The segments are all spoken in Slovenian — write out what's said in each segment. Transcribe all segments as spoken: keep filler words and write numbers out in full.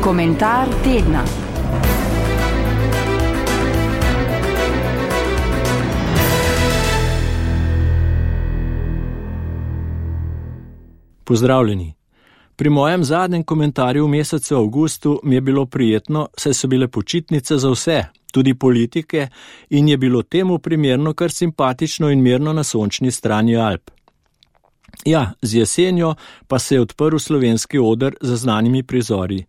Komentar tedna. Pozdravljeni. Pri mojem zadnjem komentarju v mesecu avgustu mi je bilo prijetno, saj so bile počitnice za vse, tudi politike, in je bilo temu primerno kar simpatično in mirno na sončni strani Alp. Ja, z jesenjo pa se je odprl slovenski oder z znanimi prizori.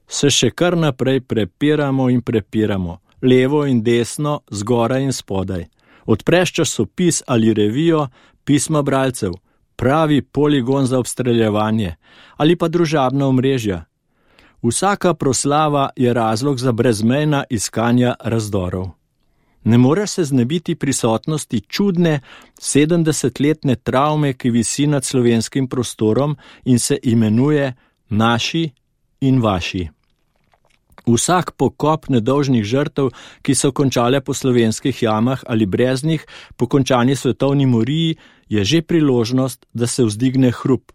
Se še kar naprej prepiramo in prepiramo, levo in desno, zgoraj in spodaj. Odpreš časopis ali revijo, pisma bralcev, pravi poligon za obstreljevanje ali pa družabna omrežja. Vsaka proslava je razlog za brezmejna iskanja razdorov. Ne moreš se znebiti prisotnosti čudne sedemdesetletne travme, ki visi nad slovenskim prostorom in se imenuje naši in vaši. Vsak pokop nedolžnih žrtev, ki so končale po slovenskih jamah ali breznih, po končani svetovni moriji, je že priložnost, da se vzdigne hrup.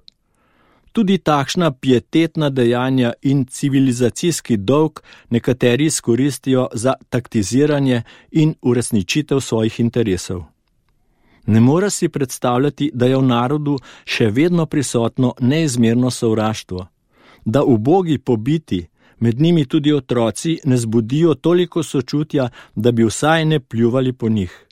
Tudi takšna pietetna dejanja in civilizacijski dolg nekateri izkoristijo za taktiziranje in uresničitev svojih interesov. Ne more si predstavljati, da je v narodu še vedno prisotno neizmerno sovraštvo, da ubogi pobiti, med njimi tudi otroci, ne zbudijo toliko sočutja, da bi vsaj ne pljuvali po njih.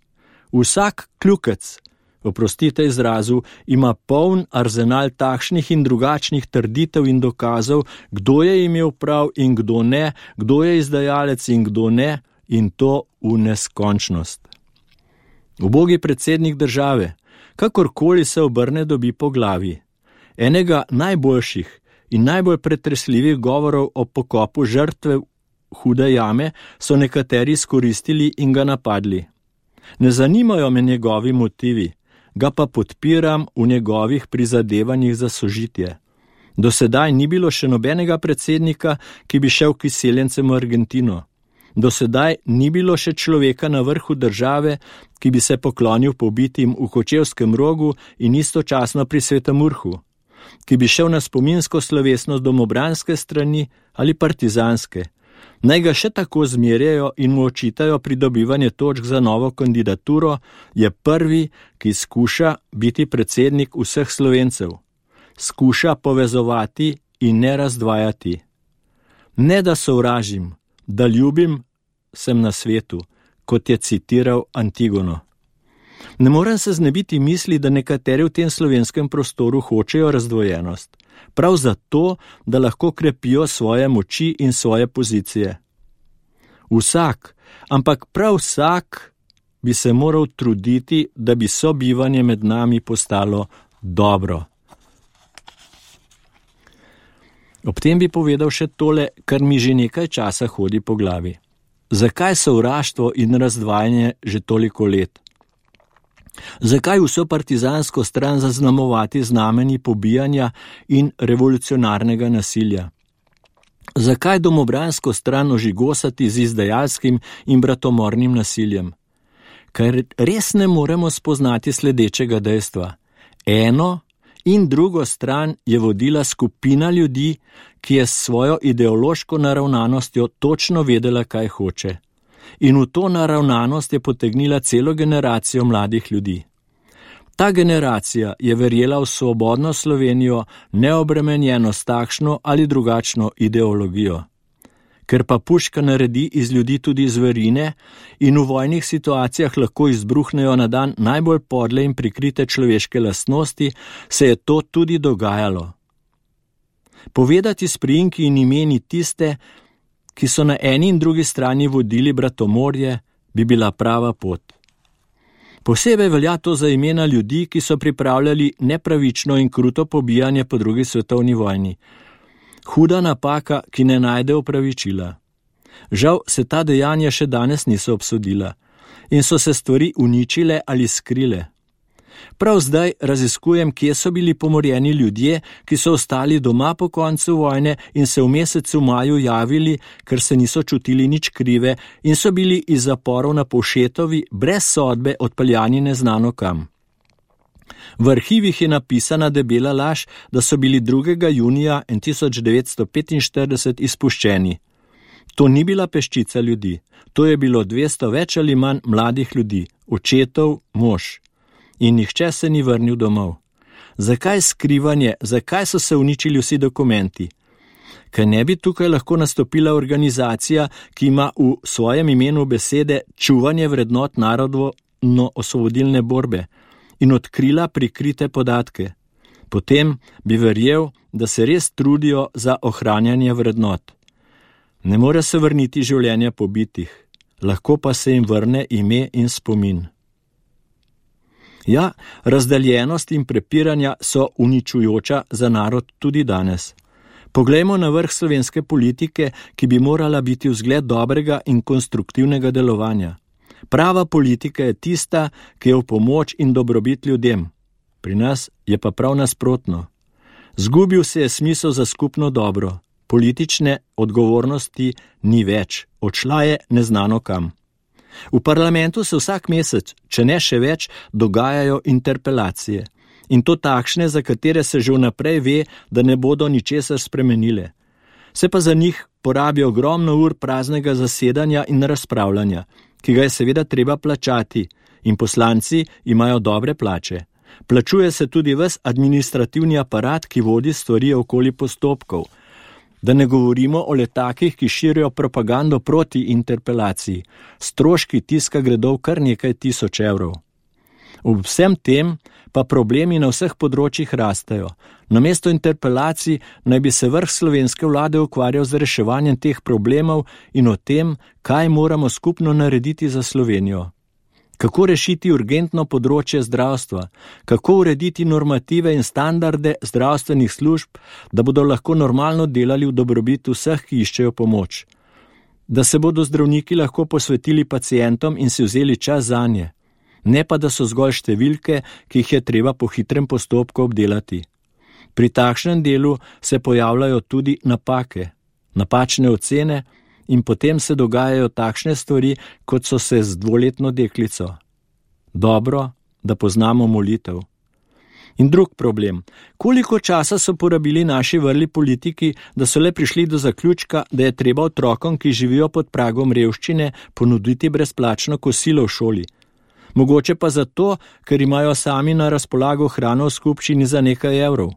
Vsak kljukec, oprostite izrazu, ima poln arzenal takšnih in drugačnih trditev in dokazov, kdo je imel prav in kdo ne, kdo je izdajalec in kdo ne, in to v neskončnost. Ubogi predsednik države, kakorkoli se obrne, dobi po glavi. Enega najboljših in najbolj pretresljivih govorov o pokopu žrtve hude jame so nekateri izkoristili in ga napadli. Ne zanimajo me njegovi motivi, ga pa podpiram v njegovih prizadevanjih za sožitje. Do sedaj ni bilo še nobenega predsednika, ki bi šel k izseljencem v Argentino. Do sedaj ni bilo še človeka na vrhu države, ki bi se poklonil pobitim v Kočevskem Rogu in istočasno pri Svetem Urhu, ki bi šel na spominsko slovesnost domobranske strani ali partizanske. Naj ga še tako zmerjajo in mu očitajo pridobivanje točk za novo kandidaturo, je prvi, ki skuša biti predsednik vseh Slovencev. Skuša povezovati in ne razdvajati. Ne da sovražim, da ljubim, sem na svetu, kot je citiral Antigono. Ne morem se znebiti misli, da nekateri v tem slovenskem prostoru hočejo razdvojenost. Prav zato, da lahko krepijo svoje moči in svoje pozicije. Vsak, ampak prav vsak bi se moral truditi, da bi sobivanje med nami postalo dobro. Ob tem bi povedal še tole, kar mi že nekaj časa hodi po glavi. Zakaj sovraštvo in razdvajanje že toliko let? Zakaj vso partizansko stran zaznamovati znameni pobijanja in revolucionarnega nasilja? Zakaj domobransko stran ožigosati z izdajalskim in bratomornim nasiljem? Ker res ne moremo spoznati sledečega dejstva. Eno in drugo stran je vodila skupina ljudi, ki je s svojo ideološko naravnanostjo točno vedela, kaj hoče. In v to naravnanost je potegnila celo generacijo mladih ljudi. Ta generacija je verjela v svobodno Slovenijo, neobremenjeno s takšno ali drugačno ideologijo. Ker pa puška naredi iz ljudi tudi zverine in v vojnih situacijah lahko izbruhnejo na dan najbolj podle in prikrite človeške lastnosti, se je to tudi dogajalo. Povedati s priimki in imeni tiste, ki so na eni in drugi strani vodili bratomorje, bi bila prava pot. Posebej velja to za imena ljudi, ki so pripravljali nepravično in kruto pobijanje po drugi svetovni vojni. Huda napaka, ki ne najde opravičila. Žal se ta dejanja še danes niso obsodila in so se stvari uničile ali skrile. Prav zdaj raziskujem, kje so bili pomorjeni ljudje, ki so ostali doma po koncu vojne in se v mesecu maju javili, ker se niso čutili nič krive in so bili iz zaporov na Povšetovi brez sodbe odpeljani neznano kam. V arhivih je napisana debela laž, da so bili drugega junija tisoč devetsto petinštirideset izpuščeni. To ni bila peščica ljudi, to je bilo dvesto več ali manj mladih ljudi, očetov, mož. In nihče se ni vrnil domov. Zakaj skrivanje, zakaj so se uničili vsi dokumenti? Kaj ne bi tukaj lahko nastopila organizacija, ki ima v svojem imenu besede čuvanje vrednot narodno-osvobodilne borbe in odkrila prikrite podatke? Potem bi verjel, da se res trudijo za ohranjanje vrednot. Ne more se vrniti življenja pobitih, lahko pa se jim vrne ime in spomin. Ja, razdeljenost in prepiranja so uničujoča za narod tudi danes. Poglejmo na vrh slovenske politike, ki bi morala biti vzgled dobrega in konstruktivnega delovanja. Prava politika je tista, ki je v pomoč in dobrobit ljudem. Pri nas je pa prav nasprotno. Zgubil se je smisel za skupno dobro. Politične odgovornosti ni več, odšla je neznano kam. V parlamentu se vsak mesec, če ne še več, dogajajo interpelacije. In to takšne, za katere se že vnaprej ve, da ne bodo ničesar spremenile. Se pa za njih porabi ogromno ur praznega zasedanja in razpravljanja, ki ga je seveda treba plačati, in poslanci imajo dobre plače. Plačuje se tudi ves administrativni aparat, ki vodi stvari okoli postopkov. Da ne govorimo o letakih, ki širijo propagando proti interpelaciji. Stroški tiska gredo kar nekaj tisoč evrov. Ob vsem tem pa problemi na vseh področjih rastejo. Namesto interpelacij naj bi se vrh slovenske vlade ukvarjal z reševanjem teh problemov in o tem, kaj moramo skupno narediti za Slovenijo. Kako rešiti urgentno področje zdravstva, kako urediti normative in standarde zdravstvenih služb, da bodo lahko normalno delali v dobrobit vseh, ki iščejo pomoč. Da se bodo zdravniki lahko posvetili pacientom in si vzeli čas zanje. Ne pa, da so zgolj številke, ki jih je treba po hitrem postopku obdelati. Pri takšnem delu se pojavljajo tudi napake, napačne ocene in potem se dogajajo takšne stvari, kot so se z dvoletno deklico. Dobro, da poznamo molitev. In drug problem. Koliko časa so porabili naši vrli politiki, da so le prišli do zaključka, da je treba otrokom, ki živijo pod pragom revščine, ponuditi brezplačno kosilo v šoli? Mogoče pa zato, ker imajo sami na razpolago hrano v skupščini za nekaj evrov.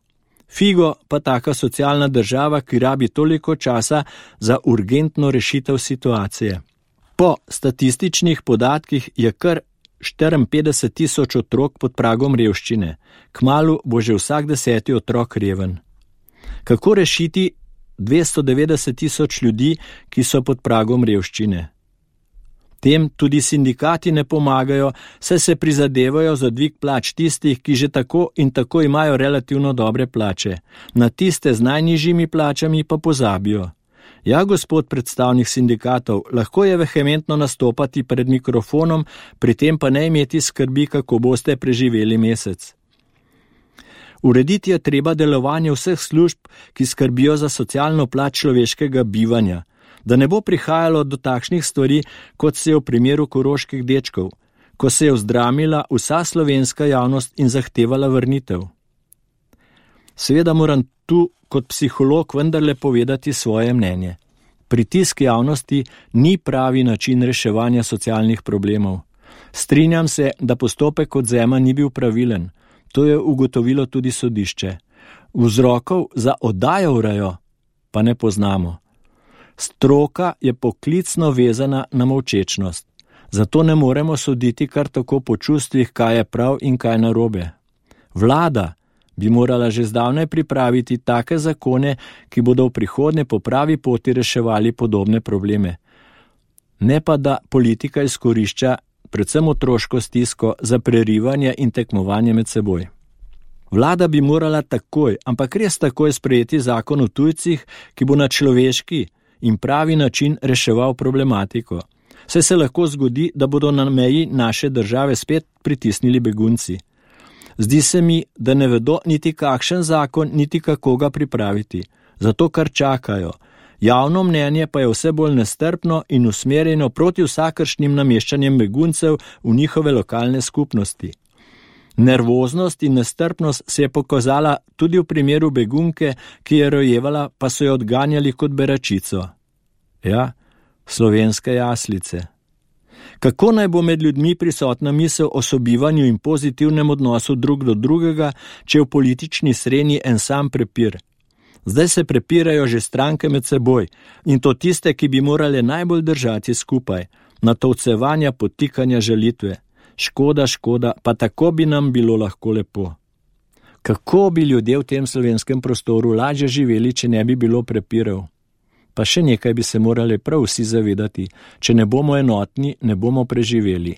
Figo pa taka socialna država, ki rabi toliko časa za urgentno rešitev situacije. Po statističnih podatkih je kar štiriinpetdeset tisoč otrok pod pragom revščine. Kmalu bo že vsak deseti otrok reven. Kako rešiti dvesto devetdeset tisoč ljudi, ki so pod pragom revščine? Tem tudi sindikati ne pomagajo, saj se prizadevajo za dvig plač tistih, ki že tako in tako imajo relativno dobre plače. Na tiste z najnižjimi plačami pa pozabijo. Ja, gospod predstavnik sindikatov, lahko je vehementno nastopati pred mikrofonom, pri tem pa ne imeti skrbi, kako boste preživeli mesec. Urediti je treba delovanje vseh služb, ki skrbijo za socialno plat človeškega bivanja, da ne bo prihajalo do takšnih stvari, kot se je v primeru koroških dečkov, ko se je vzdramila vsa slovenska javnost in zahtevala vrnitev. Seveda moram tu kot psiholog vendarle povedati svoje mnenje. Pritisk javnosti ni pravi način reševanja socialnih problemov. Strinjam se, da postopek odvzema ni bil pravilen. To je ugotovilo tudi sodišče. Vzrokov za oddajo urajo pa ne poznamo. Stroka je poklicno vezana na molčečnost. Zato ne moremo soditi kar tako po čustvih, kaj je prav in kaj narobe. Vlada bi morala že zdavnaj pripraviti take zakone, ki bodo v prihodnje po pravi poti reševali podobne probleme. Ne pa, da politika izkorišča predvsem otroško stisko za prerivanje in tekmovanje med seboj. Vlada bi morala takoj, ampak res takoj sprejeti zakon o tujcih, ki bo na človeški in pravi način reševal problematiko. Saj se lahko zgodi, da bodo na meji naše države spet pritisnili begunci. Zdi se mi, da ne vedo niti kakšen zakon, niti kako ga pripraviti. Zato kar čakajo. Javno mnenje pa je vse bolj nestrpno in usmerjeno proti vsakršnim nameščanjem beguncev v njihove lokalne skupnosti. Nervoznost in nestrpnost se je pokazala tudi v primeru begunke, ki je rojevala, pa so jo odganjali kot beračico. Ja, slovenske jaslice. Kako naj bo med ljudmi prisotna misel o sobivanju in pozitivnem odnosu drug do drugega, če v politični srenji en sam prepir? Zdaj se prepirajo že stranke med seboj, in to tiste, ki bi morale najbolj držati skupaj, natovcevanja, podtikanja, žalitve. Škoda, škoda, pa tako bi nam bilo lahko lepo. Kako bi ljudje v tem slovenskem prostoru lažje živeli, če ne bi bilo prepirov? Pa še nekaj bi se morali prav vsi zavedati, če ne bomo enotni, ne bomo preživeli.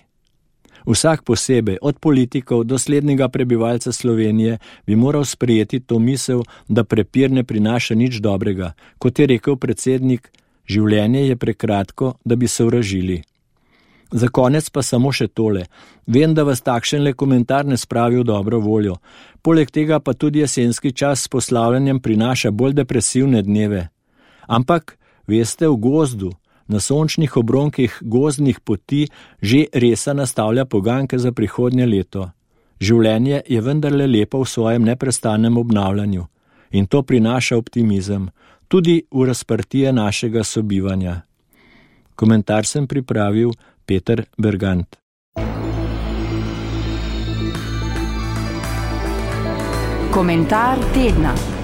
Vsak posebej, od politikov do slednjega prebivalca Slovenije, bi moral sprejeti to misel, da prepir ne prinaša nič dobrega. Kot je rekel predsednik, življenje je prekratko, da bi se uražili. Za konec pa samo še tole. Vem, da vas takšenle komentar ne spravi v dobro voljo. Poleg tega pa tudi jesenski čas s poslavljanjem prinaša bolj depresivne dneve. Ampak, veste, v gozdu, na sončnih obronkih gozdnih poti že resa nastavlja poganke za prihodnje leto. Življenje je vendarle lepo v svojem neprestanem obnavljanju in to prinaša optimizem, tudi v razprtije našega sobivanja. Komentar sem pripravil Peter Bergant. Komentar tedna.